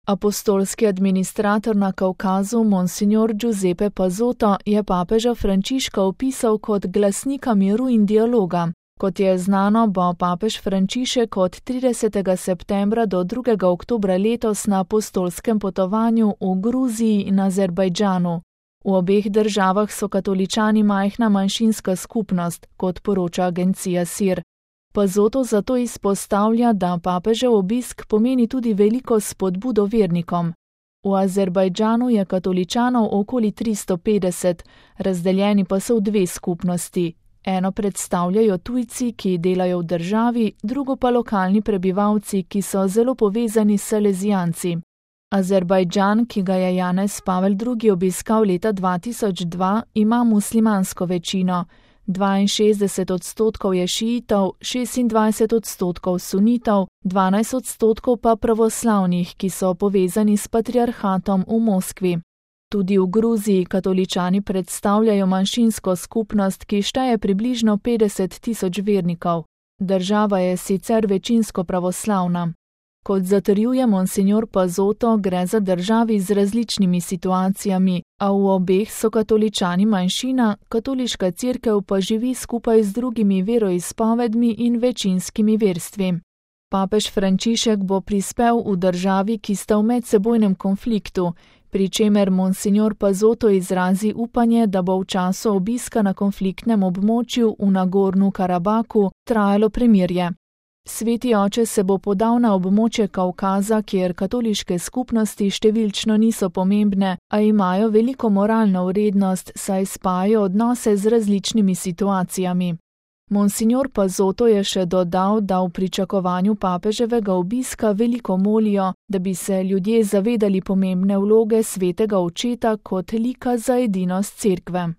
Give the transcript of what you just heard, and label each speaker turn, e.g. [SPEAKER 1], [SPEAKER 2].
[SPEAKER 1] Apostolski administrator na Kavkazu Monsignor Giuseppe Pazotto je papeža Frančiška opisal kot glasnika miru in dialoga. Kot je znano, bo papež Frančišek od 30. septembra do 2. oktobra letos na apostolskem potovanju v Gruziji in Azerbajdžanu. V obeh državah so katoličani majhna manjšinska skupnost, kot poroča agencija SIR. Pazotto zato izpostavlja, da papežev obisk pomeni tudi veliko spodbudo vernikom. V Azerbajdžanu je katoličanov okoli 350, razdeljeni pa so v dve skupnosti. Eno predstavljajo tujci, ki delajo v državi, drugo pa lokalni prebivalci, ki so zelo povezani s Salezijanci. Azerbajdžan, ki ga je Janez Pavel II. Obiskal leta 2002, ima muslimansko večino. 62% je šiitov, 26% sunitov, 12% pa pravoslavnih, ki so povezani s patriarhatom v Moskvi. Tudi v Gruziji katoličani predstavljajo manjšinsko skupnost, ki šteje približno 50.000 vernikov. Država je sicer večinsko pravoslavna. Kot zatrjuje Monsignor Pazotto, gre za državi z različnimi situacijami, a v obeh so katoličani manjšina, katoliška cerkev pa živi skupaj z drugimi veroizpovedmi in večinskimi verstvi. Papež Frančišek bo prispel v državi, ki sta v medsebojnem konfliktu, pri čemer Monsignor Pazotto izrazi upanje, da bo v času obiska na konfliktnem območju v Nagornu Karabaku trajalo premirje. Sveti oče se bo podal na območje Kavkaza, kjer katoliške skupnosti številčno niso pomembne, a imajo veliko moralno vrednost, saj spajajo odnose z različnimi situacijami. Monsignor Pazotto je še dodal, da v pričakovanju papeževega obiska veliko molijo, da bi se ljudje zavedali pomembne vloge svetega očeta kot lika za edinost cerkve.